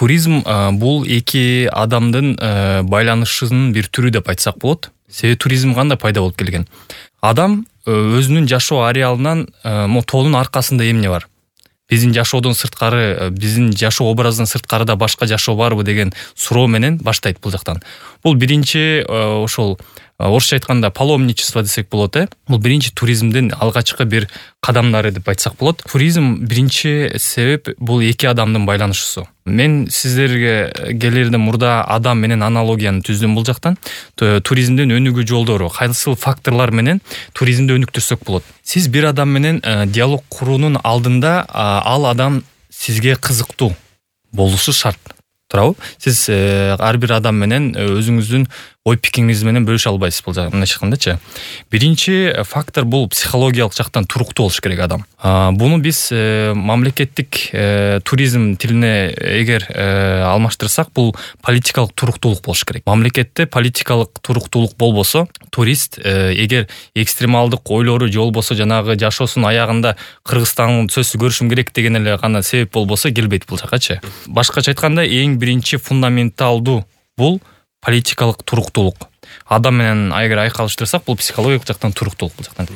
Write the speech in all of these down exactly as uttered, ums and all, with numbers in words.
Туризм бул эки адамдын байланышынын бир түрү деп айтсак болот. Себеби туризм кандай пайда болуп келген? Адам өзүнүн жашоо ареалынан могу тоонун аркасында эмне бар? Биздин жашоодон сырткары, биздин жашоо образынан сырткарыда башка жашоо барбы деген суроо менен баштайт бул жактан. Бул биринчи ошол орусча айтканда паломничество десек болот, э. Бул биринчи туризмдин алгачкы бир кадамдары деп айтсак болот. Туризм биринчи себеп бул эки адамдын байланышысу. Мен сиздерге келерден мурда адам менен аналогияны түздүм бул жактан. Туризмдин өнүгүү жолдору, кайсыл факторлор менен туризмди өнүктүрсөк болот. Сиз бир адам менен диалог куруунун алдында ал адам сизге кызыктуу болушу шарт. Туурабы? Сиз ар бир адам менен өзүңүздүн ой пикириңиз менен бөлүшө албайсыз бул жактан айткандачы. Биринчи фактор бул психологиялык жактан туруктуу болуш керек адам. Буну биз мамлекеттик туризм тилине эгер алмаштырсак, бул политикалык туруктуулук болуш керек. Мамлекетте политикалык туруктуулук болбосо, турист эгер экстремалдык ойлору же болбосо жанагы жашоосунун аягында Кыргызстандын сөзсүз көрүшүм керек деген эле гана себеп болбосо келбейт бул жакачы. Башкача айтканда, эң биринчи фундаменталдуу бул политикалык туруктуулук. Адам менен эгер айкалыштырсак, бул психологиялык жактан туруктуулук бул жактан.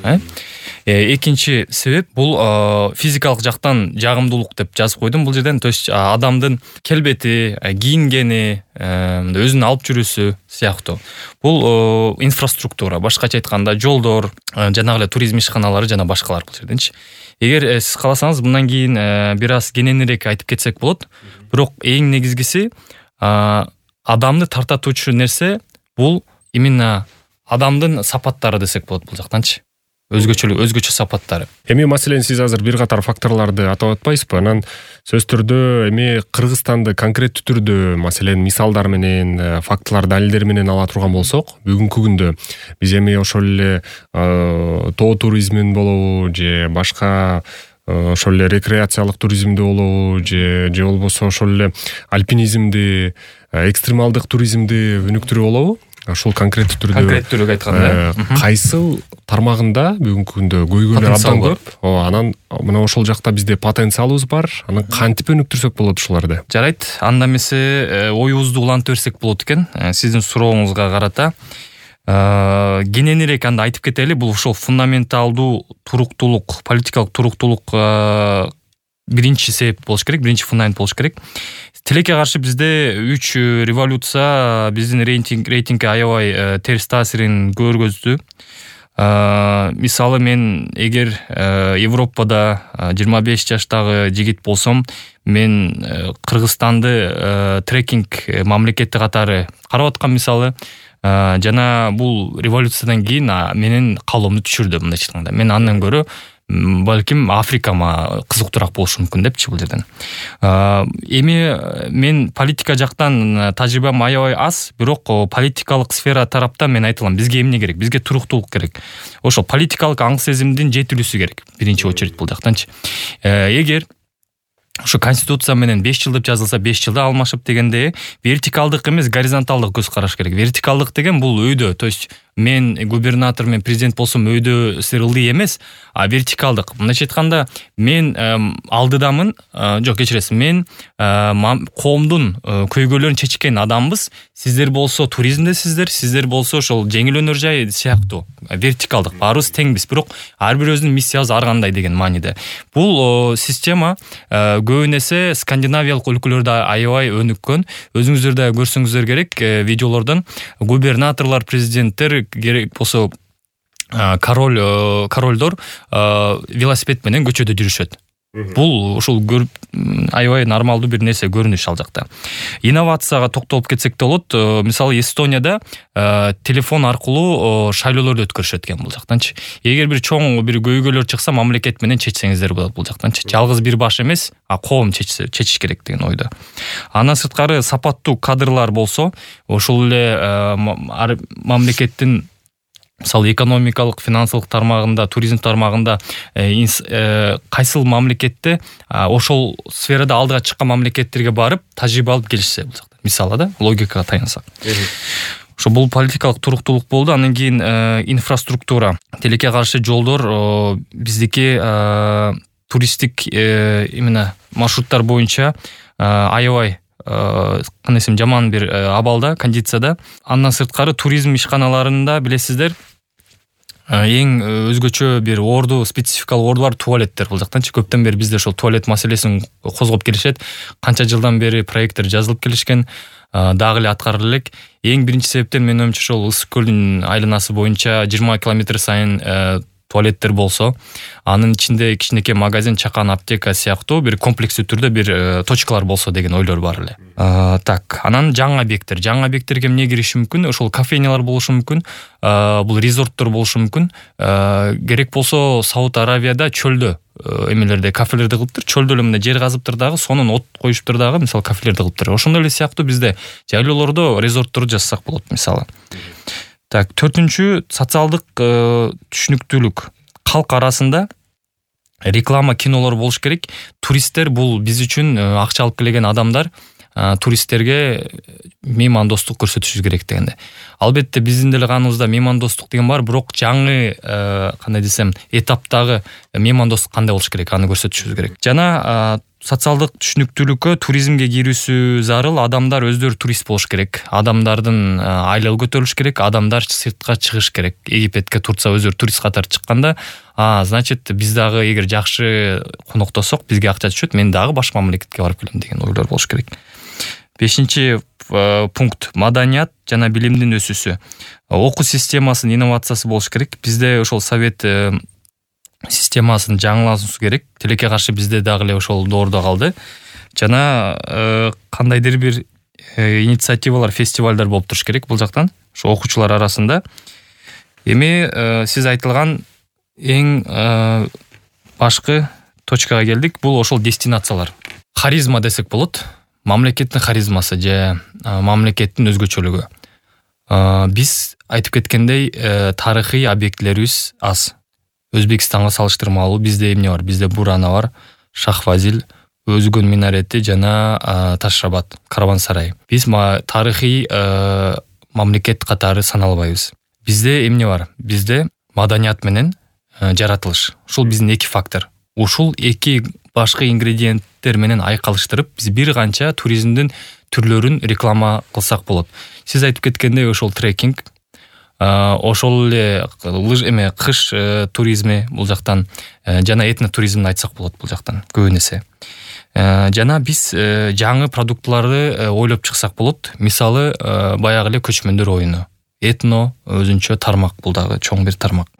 Э экинчи себеп бул физикалык жактан жагымдуулук деп жазып койдум бул жерден. То есть адамдын келбети, кийингени, өзүн алып жүрүүсү сыяктуу. Бул инфраструктура, башкача айтканда жолдор, жанагы эле туризм ишканалары жана башкалар бул жерденчи. Эгер сиз кааласаңыз, мындан кийин бир аз кененирээк айтып кетсек болот. Бирок эң негизгиси адамды тартатуучу нерсе бул именно адамдын сапаттары десек болот бул жактанчы. Өзгөчөлүк, өзгөчө сапаттары. Эми маселен сиз азыр бир катар факторлорду атап атпайсызбы? Анан сөз түрдө эми Кыргызстанды конкреттүү түрдө маселен мисалдар менен, фактылар, далилдер менен ала турган болсок, бүгүнкү күндө биз эми ошол эле тоо туризмин болобу же башка ошол эле рекреациялык туризмди болобу же же болбосо ошол эле альпинизмди, экстремалдык туризмди өнүктүрүү болобу? Ошол конкреттүү түрдө конкреттүүлүк айтканда, кайсыл тармагында бүгүнкү күндө көйгөйлөр абдан көп. Анан мына ошол жакта бизде потенциалыбыз бар. Анан кантип өнүктүрсөк болот ушуларды? Жарайт. Анда эмесе оюбузду улантып берсек болот экен. Сиздин сурооңузга карата кененирээк анда айтып кетели. Бул ошол фундаменталдуу туруктуулук, политикалык туруктуулук биринчи себеп болуш керек, биринчи фундамент болуш керек. Тилекке каршы бизде үч революция биздин рейтинг рейтингге аябай терс таасирин көргөздү. Мисалы, мен эгер Европада жыйырма беш жаштагы жигит болсом, мен Кыргызстанды трекинг мамлекети катары карап аткан мисалы. Жана бул революциядан кийин менин каалоомду түшүрдү мындай айтканда. Мен андан көрө балким Африкама кызыктуураак болушу мүмкүн депчи бул жерден. Эми мен политика жактан тажрыйбам аябай аз, бирок политикалык сфера тараптан мен айта алам, бизге эмне керек? Бизге туруктуулук керек. Ошо политикалык аң сезимдин жетилүүсү керек биринчи очередь бул жактанчы. Эгер ошо конституция менен беш жыл деп жазылса, беш жылда алмашып дегенде вертикалдык эмес, горизонталдык көз караш керек. Вертикалдык деген бул өйдө, то есть мен губернатор, мен президент болсом өйдө ылдый эмес, а вертикалдык. Мындайча айтканда, мен алдыдамын, жок, кечиресиз, мен коомдун көйгөйлөрүн чечкен адамбыз. Сиздер болсо туризмдесиздер, сиздер болсо ошол жеңил өнөр жай сыяктуу. Вертикалдык, баарыбыз теңбиз, бирок ар бир өзүнүн миссиясы ар кандай деген мааниде. Бул система көбүн эсе скандинавиялык өлкөлөрдө аябай өнүккөн. Өзүңүздөр да көрсөңүздөр керек видеолордон. Губернаторлор, президенттер, керек болсо король королдор велосипед менен көчөдө жүрүшөт. Бул ушул көрүп аябай нормалдуу бир нерсе, көрүнүш ал жакта. Инновацияга токтолуп кетсек болот. Мисалы, Эстонияда телефон аркылуу шайлоолорду өткөрүшөт экен бул жактанчы. Эгер бир чоң бир көйгөйлөр чыкса, мамлекет менен чечсеңиздер болот бул жактанчы. Жалгыз бир баш эмес, а коом чечсе, чечиш керек деген ойдо. Андан сырткары сапаттуу кадрлар болсо, ошол эле мамлекеттин мисалы экономикалык, финансылык тармагында, туризм тармагында кайсыл мамлекетте ошол сферада алдыга чыккан мамлекеттерге барып тажрыйба алып келишсе бул жакта. Мисалы да, логикага таянсак. Ошо бул политикалык туруктуулук болду. Андан кийин инфраструктура, тилекке каршы жолдор биздики туристтик именно маршруттар боюнча аябай кандай десем жаман бир абалда, кондицияда. Андан сырткары туризм ишканаларында билесиздер эң өзгөчө бир орду, спецификалык орду бар туалеттер бул жактанчы. Көптөн бери бизде ошол туалет маселесин козгоп келишет. Канча жылдан бери проекттер жазылып келишкен, дагы эле аткарыла элек. Эң биринчи себептен менин оюмча ошол Ысык көлдүн айланасы боюнча жыйырма километр сайын туалеттер болсо, анын ичинде кичинекей магазин, чакан, аптека сыяктуу бир комплекстүү түрдө бир точкалар болсо деген ойлор бар эле. Так, анан жаңы объекттер. Жаңы объекттерге эмне кириши мүмкүн? Ошол кафенялар болушу мүмкүн, бул резорттор болушу мүмкүн. Керек болсо Сауд Аравияда чөлдө эмелерде кафелерди кылыптыр, чөлдө эле мындай жер казыптыр дагы, сонун от коюштур дагы, мисалы кафелерди кылыптыр. Ошондой эле сыяктуу бизде жайлоолордо резорттор жасасак болот мисалы. Так, төртүнчү социалдык түшүнүктүүлүк. Калк арасында реклама, кинолор болуш керек. Туристтер бул биз үчүн акча алып келген адамдар, туристтерге меймандостук көрсөтүшүбүз керек дегенде. Албетте биздин деле каныбызда меймандостук деген бар, бирок жаңы кандай десем этаптагы меймандостук кандай болуш керек, аны көрсөтүшүбүз керек. Жана социалдык түшүнүктүүлүккө туризмге кирүүсү зарыл. Адамдар өздөрү турист болуш керек. Адамдардын айлыгы көтөрүлүш керек. Адамдар сыртка чыгыш керек. Египетке, Турция өздөрү турист катары чыкканда, а, значит, биз дагы эгер жакшы коноктосок, бизге акча түшөт, мен дагы башка мамлекетке барып келем деген ойлор болуш керек. Бешинчи пункт маданият жана билимдин өсүүсү. Окуу системасынын инновациясы болуш керек. Бизде ошол совет системасын жаңылашуу керек. Тилекке каршы бизде дагы эле ошол доордо калды. Жана кандайдыр бир инициативалар, фестивалдар болуп туруш керек бул жактан, ошо окуучулар арасында. Эми сиз айтылган эң башкы точкага келдик. Бул ошол дестинациялар. Харизма десек болот. Мамлекеттин харизмасы же мамлекеттин өзгөчөлүгү. Биз айтып кеткендей тарыхый объектилерибиз аз. Өзбекстанга салыштырмалуу бизде эмне бар? Бизде Бурана бар, Шахвазил, Өзгөн минарети жана Ташрабат, караван-сарай. Биз тарыхый мамлекет катары саналбайбыз. Бизде эмне бар? Бизде маданият менен жаратылыш. Ушул биздин эки фактор. Ушул эки башкы ингредиенттер менен айкалыштырып, биз бир канча туризмдин түрлөрүн реклама кылсак болот. Сиз айтып кеткендей ошол трекинг, ошол эле лыж эме кыш туризми бул жактан, жана этнотуризмди айтсак болот бул жактан көбүн эсе. Жана биз жаңы продуктларды ойлоп чыксак болот. Мисалы, баягы эле көчмөндөр оюну. Этно өзүнчө тармак, бул дагы чоң бир тармак.